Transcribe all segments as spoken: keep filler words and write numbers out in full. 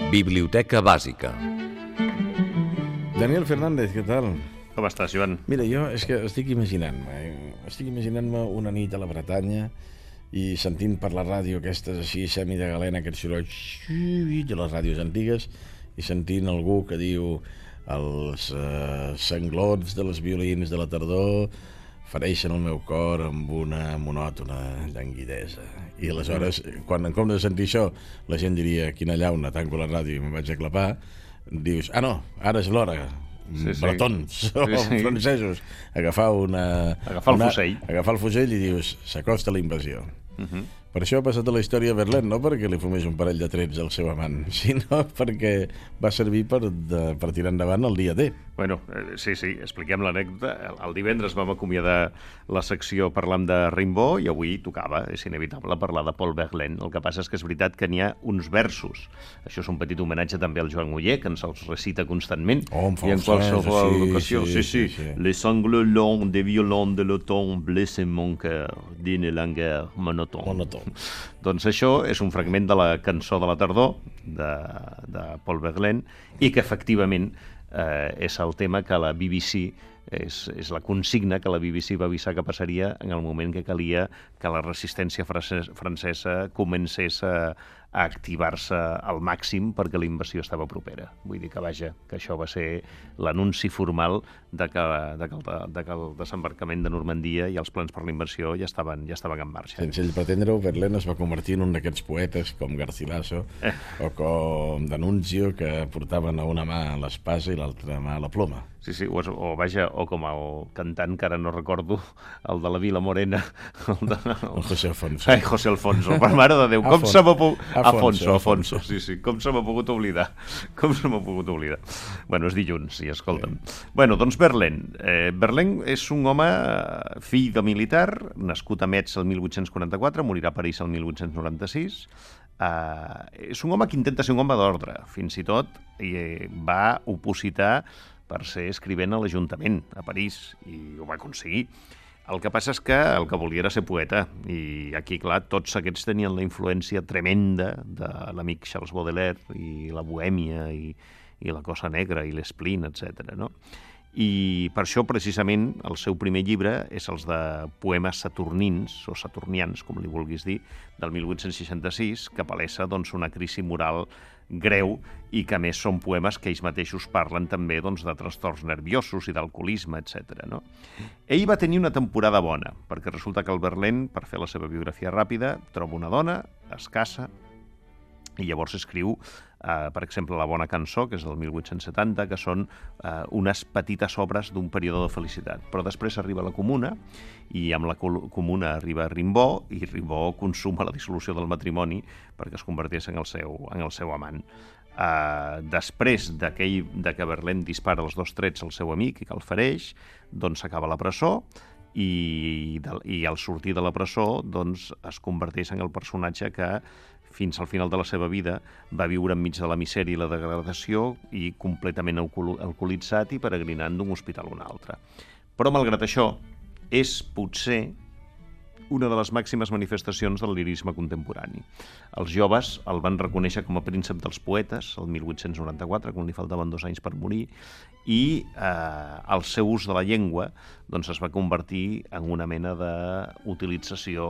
Biblioteca bàsica. Daniel Fernández, què tal? Com estàs, Joan? Mira, jo és que estic imaginant-me, eh? estic imaginant-me una nit a la Bretanya i sentint per la ràdio aquestes així, semi de galena, aquests sorolls de les ràdios antigues, i sentint algú que diu els eh, sanglots de les violins de la tardor fereixen el meu cor amb una monòtona llanguidesa. I aleshores, quan en comptes de sentir això, la gent diria, quina llauna, tanco la ràdio i me'n vaig a clapar, dius, ah no, ara és l'hora, sí, sí. bretons o sí, sí. francesos, agafar una... Agafar el una, fusell. Agafar el fusell i dius, s'acosta la invasió. Uh -huh. Per això ha passat a la història a Verlaine, no perquè li fumés un parell de trets al seu amant, sinó perquè va servir per, de, per tirar endavant el dia D. Bueno, eh, sí, sí, expliquem l'anècdota. El, el divendres vam acomiadar la secció parlant de Rimbaud i avui tocava, és inevitable, parlar de Paul Verlaine. El que passa és que és veritat que n'hi ha uns versos. Això és un petit homenatge també al Joan Muller, que ens els recita constantment. Oh, em fa I en qualsevol sí, ocasió. Sí, sí, sí. sí, sí. Les sanglots longs des violons de l'automne blessent mon cœur d'une langueur monotone. Monotone. Doncs això és un fragment de la cançó de la tardor de, de Paul Verlaine i que efectivament eh, és el tema que la B B C és, és la consigna que la B B C va avisar que passaria en el moment que calia que la resistència francesa comencés a, a activar-se al màxim perquè la invasió estava propera. Vull dir que, vaja, que això va ser l'anunci formal de que, de, que el, de que el desembarcament de Normandia i els plans per la invasió ja estaven, ja estaven en marxa. Sense ell pretendre-ho, Verlaine es va convertir en un d'aquests poetes com Garcilaso eh. o com D'Annunzio, que portaven a una mà l'espasa i l'altra mà la ploma. Sí, sí, o, o vaja, o com el cantant, que ara no recordo, el de la Vila Morena. El, de, el... el José Alfonso. Ai, José Alfonso, per mare de Déu, com se m'ha pogut... Afonso, Afonso, Afonso, sí, sí, com se m'ha pogut oblidar. Com se m'ha pogut oblidar. Bueno, és dilluns, sí, escolta'm. Sí. Bueno, doncs Verlaine. Eh, Verlaine és un home fill de militar, nascut a Metz el mil vuit-cents quaranta-quatre, morirà a París el mil vuit-cents noranta-sis. Eh, és un home que intenta ser un home d'ordre, fins i tot i va opositar per ser escrivent a l'Ajuntament, a París, i ho va aconseguir. El que passa és que el que volia era ser poeta, i aquí, clar, tots aquests tenien la influència tremenda de l'amic Charles Baudelaire, i la bohèmia, i, i la cosa negra, i l'espleen, etcètera, no? I per això, precisament, el seu primer llibre és els de poemes saturnins, o saturnians, com li vulguis dir, del mil vuit-cents seixanta-sis, que palesa doncs, una crisi moral greu i que, a més, són poemes que ells mateixos parlen també doncs, de trastorns nerviosos i d'alcoholisme, etcètera. No? Ell va tenir una temporada bona, perquè resulta que el Verlaine, per fer la seva biografia ràpida, troba una dona, es casa, i llavors escriu, eh, per exemple, La bona cançó, que és del mil vuit-cents setanta, que són eh, unes petites obres d'un període de felicitat. Però després arriba la Comuna, i amb la Comuna arriba Rimbaud, i Rimbaud consuma la dissolució del matrimoni perquè es convertís en el seu, en el seu amant. Eh, després d'aquell de que Verlaine dispara els dos trets al seu amic i que el fereix, doncs s'acaba la presó, i, de, i al sortir de la presó doncs, es converteix en el personatge que fins al final de la seva vida va viure enmig de la misèria i la degradació i completament alcoholitzat i peregrinant d'un hospital a un altre. Però, malgrat això, és potser una de les màximes manifestacions del lirisme contemporani. Els joves el van reconèixer com a príncep dels poetes el mil vuit-cents noranta-quatre, quan li faltaven dos anys per morir, i eh, el seu ús de la llengua doncs, es va convertir en una mena d'utilització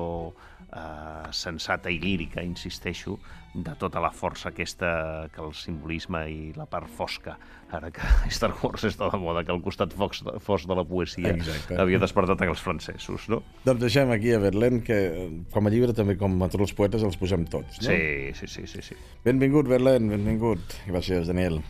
eh, sensata i lírica, insisteixo, de tota la força aquesta que el simbolisme i la part fosca, ara que Star Wars està de moda, que el costat fosc de la poesia Exacte. havia despertat en els francesos, no? Doncs deixem aquí a Verlaine, que com a llibre també com a tots els poetes els posem tots, no? Sí, sí, sí, sí, sí. Benvingut, Verlaine, benvingut. Gràcies, Daniel.